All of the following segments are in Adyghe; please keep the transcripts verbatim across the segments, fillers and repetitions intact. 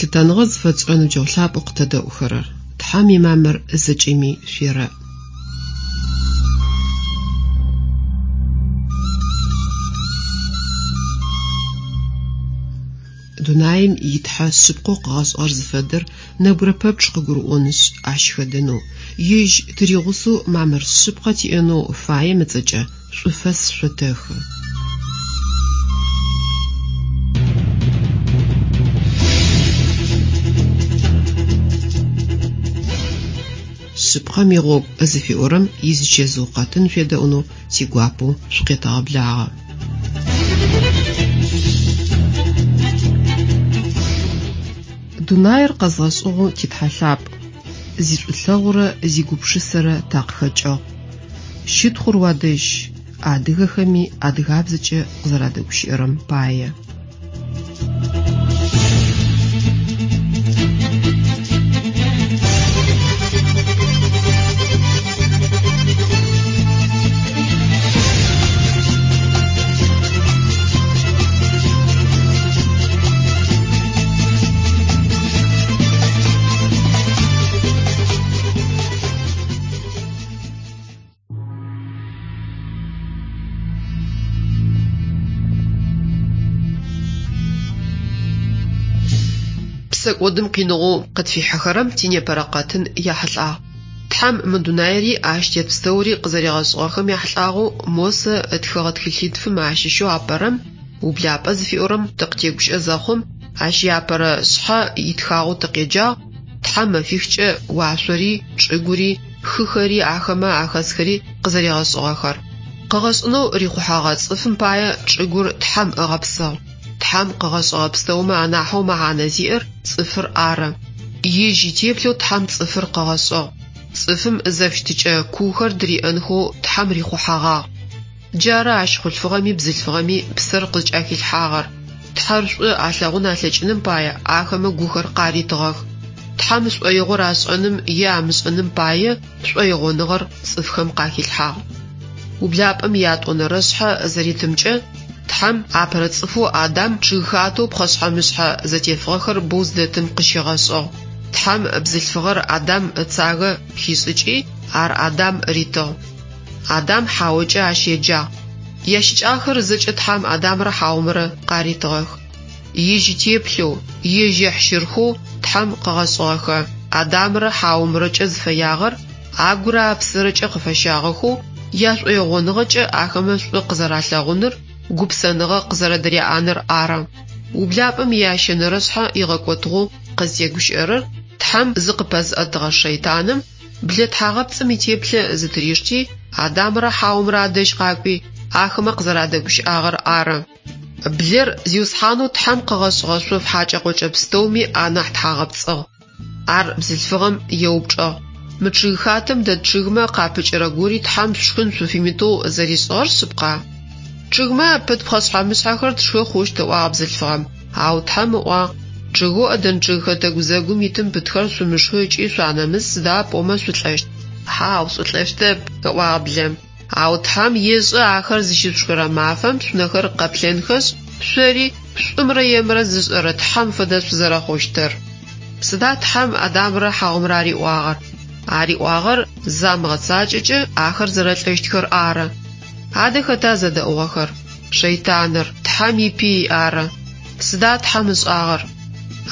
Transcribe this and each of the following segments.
Лъытэныгъэ зыфэтшӏырэ ныбджэгъу лъапӏэу къытэдэӏухэрэр, Тхьэм имамыр зэкӏэми шъуерэӏ. Дунаим итхьэ шъыпкъэу къыгъэшӏыгъэр зыфэдэр нэбгырэ пэпчъ къыгурыӏонышъ, ащ хэдэнэу, ежь тыригъусэу мамыр шъыпкъэ тиӏэнэу фаем ыцӏэкӏэ шӏуфэс шъотэхы. Шъыпкъэм игъогу зыфиӏорэм изычэзыу къэтын шъуедэӏунэу тигуапэу шъукъетэгъэблагъэ. Дунаир къэзгъэшӏыгъэу титхьэ лъапӏ, зишӏулъэгъурэ зигупшысэрэ такъыхэкӏыгъ. Щытхъур уадэжь, адыгэхэми адыгабзэкӏэ къызэрадэгущыӏэрэм пае. Псэкӏодым къиныгъоу къытфихьыхэрэм тинепэрэ къэтын яхьылӏагъ. Тхьэм мы дунаири ащ тет пстэури къызэригъэшӏыгъэхэм яхьылӏагъэу Мосэ ытхыгъэ тхылъитфым ащыщэу апэрэм «Ублапӏэ» зыфиӏорэм тыкъытегущыӏэ зэхъум, ащ иапэрэ шъхьэ итхагъэу тыкъеджагъ: Тхьэм мэфихкӏэ уашъори, чӏыгури, хыхэри, ахэмэ ахэсхэри къызэригъэшӏыгъэхэр. Къыгъэшӏынэу рихъухьэгъэ цӏыфым пае чӏыгур Тхьэм ыгъэпсыгъ. Тхьэм къыгъэшӏыгъэ пстэумэ анахьэу мэхьанэ зиӏэр цӏыфыр ары. Ежь итеплъэу Тхьэм цӏыфыр къыгъэшӏыгъ. Цӏыфым зэфыщытыкӏэ куухэр дыриӏэнхэу Тхьэм рихъухьэгъагъ. Джары ащ хъулъфыгъэми бзылъфыгъэми псэр къызкӏахилъхьагъэр. Тхьэр шӏу алъэгъун алъэкӏыным пае ахэмэ гухэр къаритыгъэх. Тхьэм шӏоигъор ашӏэным е амышӏэным пае шӏоигъоныгъэр цӏыфхэм къахилъхьагъ. Ублапӏэм ятӏонэрэ шъхьэ зэритымкӏэ Тхьэм апэрэ цӏыфэу Адам чъыгхатэу пхъэшъхьэ-мышъхьэ зэтефыгъэхэр боу зыдэтым къыщигъэшӏыгъ. Тхьэм бзылъфыгъэр Адам ыцагэ хишӏыкӏи, ар Адам ритыгъ. Адам Хьаокӏэ ащ еджагъ. Ящыкӏагъэхэр зэкӏэ Тхьэм Адамрэ Хьаомрэ къаритыгъэх. Ежь итеплъэу, ежь ехьщырхэу Тхьэм къыгъэшӏыгъэхэ Адамрэ Хьаомрэкӏэ зыфэягъэр агурэ апсэрэкӏэ къыфэщагъэхэу яшӏоигъоныгъэкӏэ ахэмэ шӏу къызэралъэгъуныр, гупсэныгъэ къызэрэдыряӏэныр ары. Ублапӏэм ящэнэрэ шъхьэ игъэкӏотыгъэу къызтегущыӏэрэр Тхьэм зыкъыпэзыӏэтыгъэ шэйтаным блэ тхьагъэпцӏым итеплъэ зытыришти, Адамрэ Хьаомрэ адэжь къакӏуи, ахэмэ къызэрадэгущыӏагъэр ары. Блэр Зиусхьанэу Тхьэм къыгъэшӏыгъэ шъоф хьакӏэ-къокӏэ пстэуми анахь тхьагъэпцӏыгъ. Ар бзылъфыгъэм еупчӏыгъ: Мы чъыгхатэм дэт чъыгмэ къапыкӏэрэ гори Тхьэм шъушхын шъуфимытэу зэришӏыгъэр шъыпкъа? Чъыгмэ апыт пхъэшъхьэ-мышъхьэхэр тшхы хъущт, ыӏуагъ бзылъфыгъэм. Ау Тхьэм ыӏуагъ: Чъыгэу Ӏэдэн чъыгхэтэ гузэгум итым пытхэр шъумышхы ыкӏи шъуанэмыс, сыда пӏомэ шъулӏэщт. Хьау, шъулӏэщтэп, ыӏуагъ блэм. Ау Тхьэм ешӏэ ахэр зыщышъушхырэ мафэм шъунэхэр къэплъэнхэшъ, шъори шӏумрэ емрэ зышӏэрэ Тхьэм фэдэ шъузэрэхъущтыр. Сыда Тхьэм Адамрэ Хьаомрэ ариӏуагъэр? Ариӏуагъэр замыгъэцакӏэкӏэ ахэр зэрэлӏэщтхэр ары. Адэ хэта зэдэӏугъэхэр? Шэйтаныр, Тхьэм ипый ары. Сыда Тхьэм ышӏагъэр?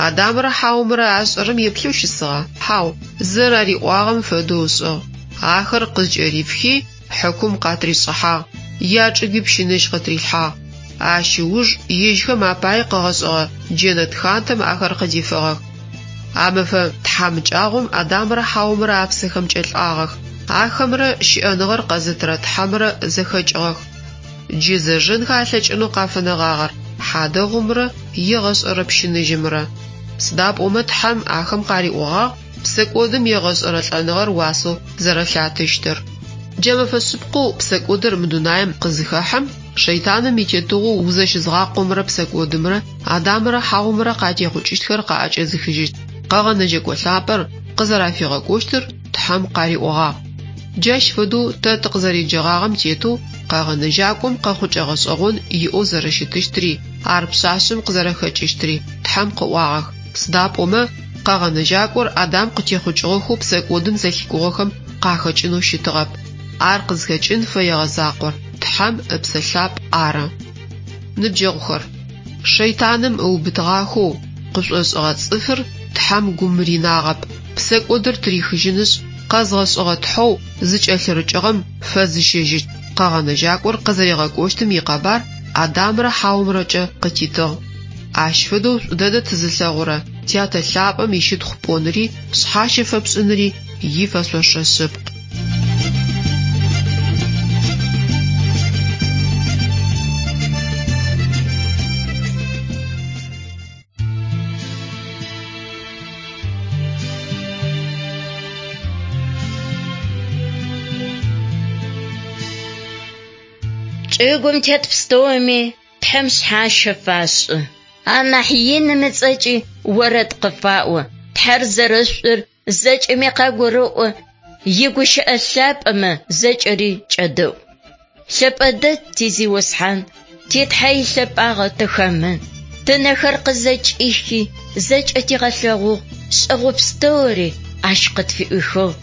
Адамрэ Хьаомрэ ашӏэрэм еплъэу щысыгъа? Хьау, зэрариӏуагъэм фэдэу ышӏыгъ. Ахэр къызкӏэрифхи, хьыкум къатришӏыхьагъ, ячӏыгуи пщыныжь къытрилъхьагъ. Ащ ыуж ежьхэм апае къыгъэшӏыгъэ джэнэт хатэм ахэр къыдифыгъэх. А мэфэ тхьамыкӏагъом Адамрэ Хьаомрэ апсэхэмкӏэ лӏагъэх. Ахэмрэ щыӏэныгъэр къэзытырэ Тхьэмрэ зэхэкӏыгъэх. Джы зэжэнхэ алъэкӏынэу къафэнэгъагъэр хьадэгъумрэ егъэшӏэрэ пщыныжьымрэ. Сыда пӏомэ Тхьэм ахэм къариӏогъагъ псэкӏодым егъэшӏэрэ лӏэныгъэр уасэу зэрэлъатыщтыр. Джа мэфэ шъыпкъэу псэкӏодыр мы дунаим къызыхэхьэм, шэйтаным итетыгъоу узэщызгъакъомрэ псэкӏодымрэ Адамрэ Хьаомрэ къатехъукӏыщтхэр къаӏэкӏэзыхыжьыщт къэгъэнэжьэкӏо лъапӏэр къызэрафигъэкӏощтыр Тхьэм къариӏогъагъ. Джащ фэдэу тэ тыкъызэреджэгъагъэм тетэу къэгъэнэжьакӏом къэхъукӏэ гъэшӏэгъон иӏэу зэрэщытыщтри, ар пшъашъэм къызэрэхэкӏыщтри Тхьэм къыӏуагъэх. Сыда пӏомэ Къэгъэнэжьакӏор Адам къытехъукӏыгъэхэу псэкӏодым зэлъикӏугъэхэм къахэкӏынэу щытыгъэп. Ар къызхэкӏын фэегъэ закъор Тхьэм Ыпсэ Лъапӏ ары. Ныбджэгъухэр, шэйтаным ыубытыгъахэу къышӏошӏыгъэ цӏыфыр Тхьэм гум ринагъэп, псэкӏодыр тырихыжьынышъ, къэзгъэшӏыгъэ Тхьэу зыкӏэлъырыкӏыгъэм фэзыщэжьыщт Къэгъэнэжьакӏор къызэригъэкӏощтым икъэбар Адамрэ Хьаомрэкӏэ къытитыгъ. Ащ фэдэу шӏу дэдэ тызылъэгъурэ Тятэ Лъапӏэм ищытхъу пӏоныри, шъхьащэ фэпшӏыныри ифэшъошэ шъыпкъ. Чӏыгум тет пстэуми Тхьэм шъхьащэ фашӏы. Анахь иным ыцӏэкӏи орэд къыфаӏо. Тхьэр зэрэшӏур зэкӏэми къагурэӏо, игущыӏэ лъапӏэмэ зэкӏэри кӏэдэӏу. Лъэпӏэ дэд ти Зиусхьан, ти Тхьэ илъэпӏагъэ тыхэмын. Тынэхэр къызэкӏихи, зэкӏэ тигъэлъэгъугъ, шӏэгъо пстэури ащ къытфиӏухыгъ.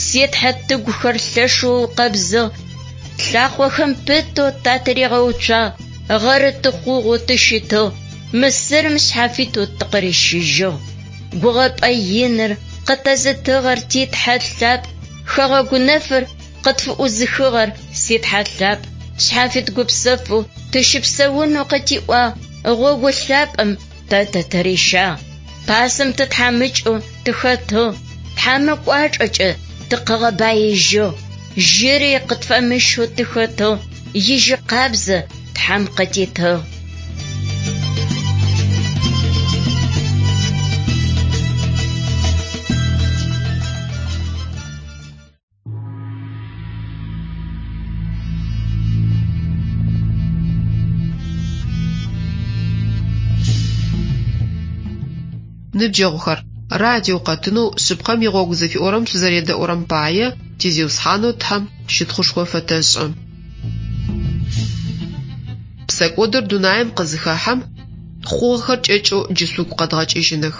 Си Тхьэ тыгухэр лъэшэу укъэбзыгъ, лъакъохэм пытэу татыригъэуцуагъ, гъэры тыхъугъэу тыщытыгъ, Мысырым шъхьафитэу тыкъырищыжьыгъ. Гугъэпӏэ иныр къытэзытыгъэр ти Тхьэ лъапӏ, хэгъэгу нэфыр къытфыӏузыхыгъэр си Тхьэ лъапӏ. Шъхьафит гупсэфэу тыщыпсэунэу къытиӏуагъ, гъогу лъапӏэм тэ тытырищагъ. Пасэм тытхьамыкӏэу тыхэтыгъ, Тхьэм ыкӏуачӏэкӏэ тыкъыгъэбаижьыгъ. Жьыри къытфэмыщэу тыхэтыгъ, ижьы къабзэ Тхьэм къытитыгъ. Ныбджэгъухэр, радио къэтынэу шъыпкъэм игъогу зыфиӏорэм шъузэредэӏурэм пае ти Зиусхьанэу Тхьэм щытхъушхо фэтэшӏы. Псэкӏодыр дунаим къызыхэхьэм хъугъэхэр кӏэкӏэу джы шъугу къэдгъэкӏыжьыных.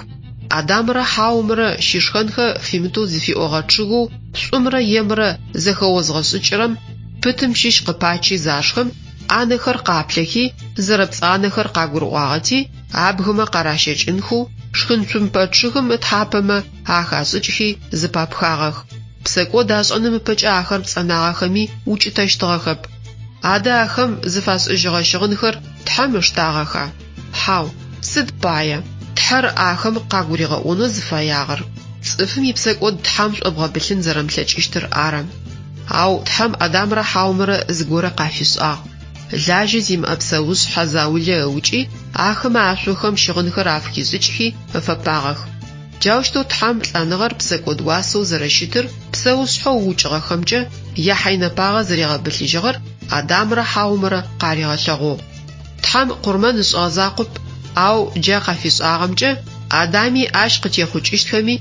Адамрэ Хьаомрэ щышхэнхэ фимытэу зыфиӏогъэ чъыгэу шӏумрэ емрэ зэхэозгъэшӏыкӏырэм пытым щыщ къыпачи зашхым, анэхэр къаплъэхи, зэрэпцӏанэхэр къагурыӏуагъэти, абгымэ къаращэкӏынхэу шхынцумпэ чъыгым ытхьапэмэ ахашӏыкӏхи зыпапхагъэх. Псэкӏод ашӏэным ыпэкӏэ ахэр пцӏэнагъэхэми укӏытэщтыгъэхэп. Адэ ахэм зыфашӏыжьыгъэ щыгъынхэр Тхьэм ыштагъэха? Хьау, сыд пае? Тхьэр ахэм къагуригъэӏонэу зыфэягъэр цӏыфым ипсэкӏод Тхьэм шӏобгъэбылъын зэрэмылъэкӏыщтыр ары. Ау Тхьэм Адамрэ Хьаомрэ зыгорэ къафишӏагъ. Лажьэ зимыӏэ псэушъхьэ заулэ ыукӏи, ахэмэ ашъохэм щыгъынхэр афыхишӏыкӏхи ыфэпагъэх. Джаущтэу Тхьэм лӏэныгъэр псэкӏод уасэу зэрэщытыр псэушъхьэу ыукӏыгъэхэмкӏэ яхьайнэпагъэ зэригъэбылъыжьыгъэр Адамрэ Хьаомрэ къаригъэлъэгъугъ. Тхьэм къурмэн ышӏыгъэ закъоп, ау джа къафишӏагъэмкӏэ Адами ащ къытехъукӏыщтхэми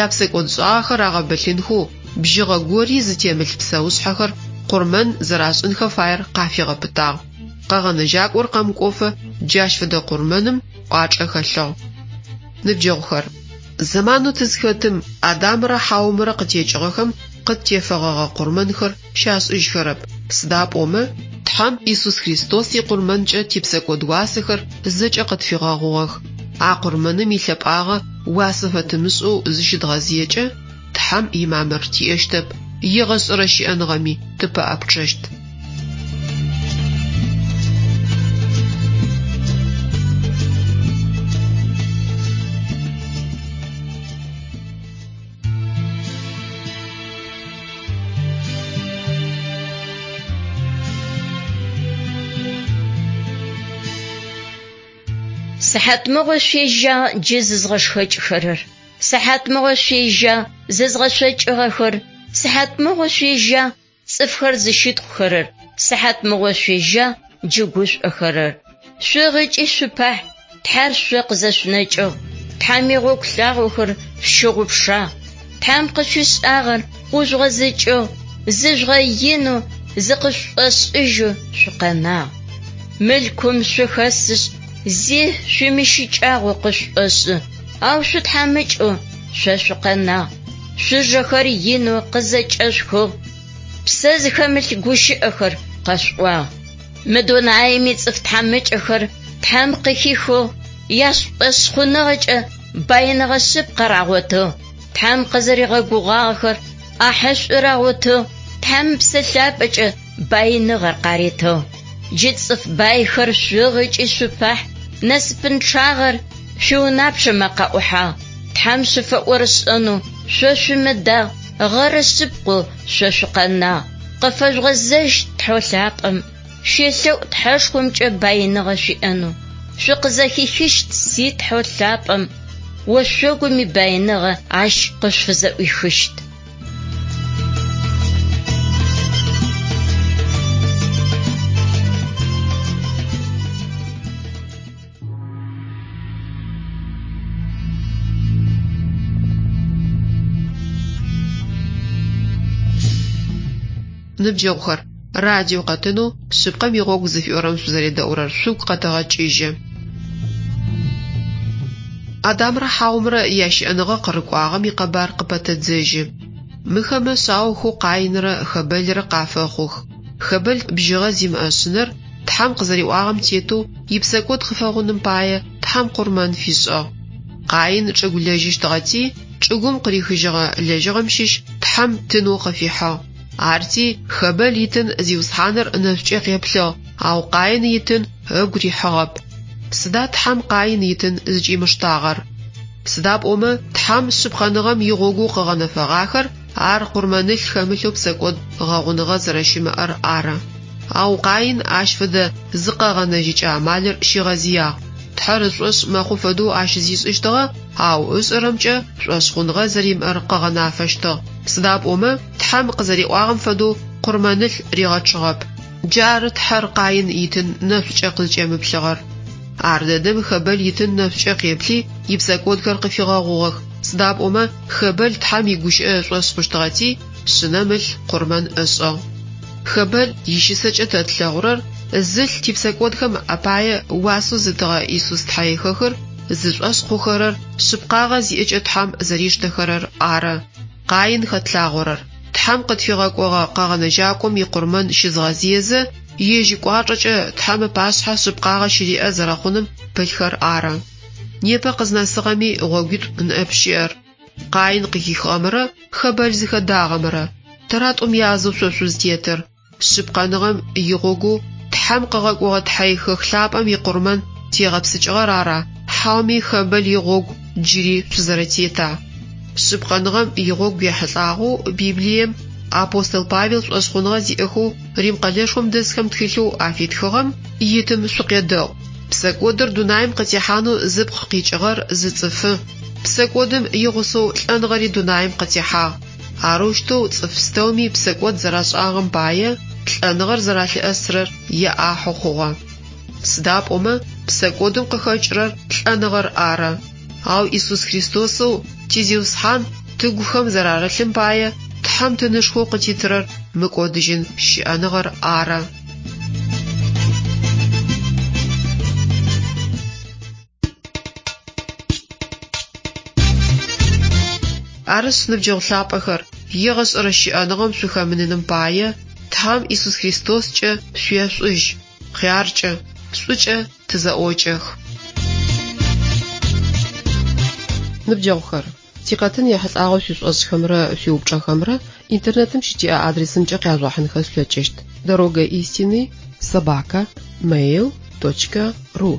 япсэкӏодшӏагъэхэр агъэбылъынхэу бжьыгъэ гори зытемылъ псэушъхьэхэр къурмэн зэрашӏынхэ фаер къафигъэпытагъ. Къэгъэнэжьакӏор къэмыкӏофэ джащ фэдэ къурмэным кӏуачӏэ хэлъыгъ. Ныбджэгъухэр, зэманэу тызхэтым Адамрэ Хьаомрэ къытекӏыгъэхэм къыттефэгъэгъэ къурмэнхэр щашӏыжьхэрэп. Сыда пӏомэ, Тхьэм Исус Христос икъурмэнкӏэ типсэкӏод уасэхэр зэкӏэ къытфигъэгъугъэх. А къурмэным илъэпӏагъэ уасэ фэтымышӏэу зыщыдгъэзыекӏэ, Тхьэм имамыр тиӏэщтэп, егъэшӏэрэ щыӏэныгъэми тыпэӏэпчъэщт. Сыхьатмыгъо шъуежьагъ джы зызгъэшхэкӏхэрэр. Сыхьатмыгъо шъуежьагъ зызгъэшъокӏыгъэхэр. Сыхьатмыгъо шъуежьагъ цӏыфхэр зыщытхъухэрэр. Сыхьатмыгъо шъуежьагъ джы гушӏохэрэр. Шъугъыкӏи шъупахь, Тхьэр шъо къызэшъунэкӏыгъ. Тхьэм игъогу лъагъохэр шъущыгъупшагъ. Тхьэм къышъуишӏагъэр ӏужъугъэзыкӏыгъ, зыжъугъэинэу, зыкъышъушӏошӏыжьэу шъукъэнагъ. Мылъкум шъухэсышъ, зи шъуимыщыкӏагъэу къышъушӏошӏы. Ау шъутхьамыкӏэу шъо шъукъэнагъ, шъужэхэр инэу къызэкӏэшъухыгъ, псэ зыхэмылъ гущыӏэхэр къэшъуӏуагъ. Мы дунаим ицӏыф тхьамыкӏэхэр Тхьэм къыхихыгъ, яшӏошъхъуныгъэкӏэ баиныгъэ шъыпкъэ рагъотыгъ. Тхьэм къызэригъэгугъагъэхэр ӏахьэшӏу рагъотыгъ, Тхьэм Псэ Лъапӏэкӏэ баиныгъэр къаритыгъ. Джы цӏыф байхэр шъугъ ыкӏи шъупахь, насыпынчъагъэр шъуиунапчъэмэ къаӏухьагъ. Тхьэм шъуфэӏорышӏэнэу шъо шъумыдагъ, гъэры шъыпкъэу шъо шъукъэнагъ. Къыфэжъугъэзэжь Тхьэу лъапӏэм, шъуелъэӏу Тхьэшхомкӏэ баиныгъэ шъуиӏэнэу. Шъукъызэхихыщт си Тхьэу лъапӏэм, ошъогум ибаиныгъэ ащ къышъуфызэӏуихыщт. Ныбджэгъухэр, радио къэтынэу «Шъыпкъэм игъогу» зыфиӏорэм шъузэредэӏурэр шъугу къэтэгъэкӏыжьы. Адамрэ Хьаомрэ ящыӏэныгъэ къырыкӏуагъэм икъэбар къыпэтэдзэжьы. Мыхэмэ шъаохэу Къаинрэ Хэбэлрэ къафэхъух. Хэбэл бжьыгъэ зимыӏэ шъынэр Тхьэм къызэриӏуагъэм тетэу ипсэкӏод къыфэгъуным пае Тхьэм къурмэн фишӏыгъ. Къаин чӏыгу лэжьыщтыгъэти, чӏыгум къырихыжьыгъэ лэжьыгъэм щыщ Тхьэм тынэу къыфихьыгъ. Арти Хэбэл итын Зиусхьаныр нэшӏукӏэ къеплъыгъ, ау Къаин итын ыгу рихьыгъэп. Сыда Тхьэм Къаин итын зыкӏимыштагъэр? Сыда пӏомэ Тхьэм шъыпкъэныгъэм игъогоу къыгъэнэфэгъахэр ар къурмэнылъ хэмылъэу псэкӏод гъэгъуныгъэ зэрэщымыӏэр ары. Ау Къаин ащ фэдэ зыкъэгъэнэжьыкӏэ амалыр щигъэзыягъ. Тхьэр ышӏошъ мэхъу фэдэу ащ зишӏыщтыгъэ, ау ышӏэрэмкӏэ шӏошъхъуныгъэ зэримыӏэр къыгъэнафэщтыгъ. Сыда пӏомэ Тхьэм къызэриӏуагъэм фэдэу къурмэнылъ ригъэчъыгъэп. Джары Тхьэр Къаин итын нэшӏукӏэ къызкӏемыплъыгъэр. Ар дэдэм Хэбэл итын нэшӏукӏэ къеплъи, ипсэкӏодхэр къыфигъэгъугъэх. Сыда пӏомэ Хэбэл Тхьэм игущыӏэ ышӏошъ хъущтыгъэти, шъынэм ылъ къурмэн ышӏыгъ. Хэбэл ищысэкӏэ тэ тлъэгъурэр зылъ типсэкӏодхэм апае уасэу зытыгъэ Исус Тхьэихэхыр зышӏошъ хъухэрэр шъыпкъагъэ зиӏэкӏэ Тхьэм зэриштэхэрэр ары. Къаин хэтлъагъорэр. Тхьэм къытфигъэкӏогъэ къэгъэнэжьакӏом икъурмэн щызгъэзыезэ, ежь ыкӏуачӏэкӏэ Тхьэм ыпашъхьэ шъыпкъагъэ щыриӏэ зэрэхъуным пылъхэр ары. Непэ къызнэсыгъэми гъогуитӏу ныӏэп щыӏэр. Къаин къыхихыгъэмрэ Хэбэл зыхэдагъэмрэ. Тэра тӏум язэу шъо шъузтетыр. Шъыпкъэныгъэм игъогоу Тхьэм къыгъэкӏогъэ Тхьэихэх лъапӏэм икъурмэн тегъэпсыкӏыгъэр ара, хьауми Хэбэл игъогу джыри шъузэрэтета? Шъыпкъэныгъэм игъогу ехьылӏагъэу Библием апостол Павел шӏошъхъуныгъэ зиӏэхэу Рим къэлэшхом дэсхэм тхылъэу афитхыгъэм итым шъукъедэӏу. Псэкӏодыр дунаим къытехьанэу зыпкъ къикӏыгъэр зы цӏыфы. Псэкӏодым игъусэу лӏэныгъэри дунаим къытехьагъ. Арэущтэу цӏыф пстэуми псэкӏод зэрашӏагъэм пае лӏэныгъэр зэралъыӏэсырэр яӏахьэу хъугъэ. Сыда пӏомэ псэкӏодым къыхэкӏырэр лӏэныгъэр ары. Ау Исус Христосэу ти Зиусхьан тыгухэм зэрарылъым пае Тхьэм тынышхоу къытитырэр мыкӏодыжьын щыӏэныгъэр ары. Арышъ, ныбджэгъу лъапӏэхэр, егъэшӏэрэ щыӏэныгъэм шъухэмыныным пае Тхьэм Исус Христоскӏэ шъуешӏужь, хъяркӏэ, шӏукӏэ тызэӏокӏэх. Ныбджэгъухэр, тикъэтын ехьылӏагъэу шъуишӏошӏхэмрэ шъуиупчӏэхэмрэ интернетым щытиӏэ адресымкӏэ къяжъугъэхьынхэ шъулъэкӏыщт: Дорога истины собака mail точка ру.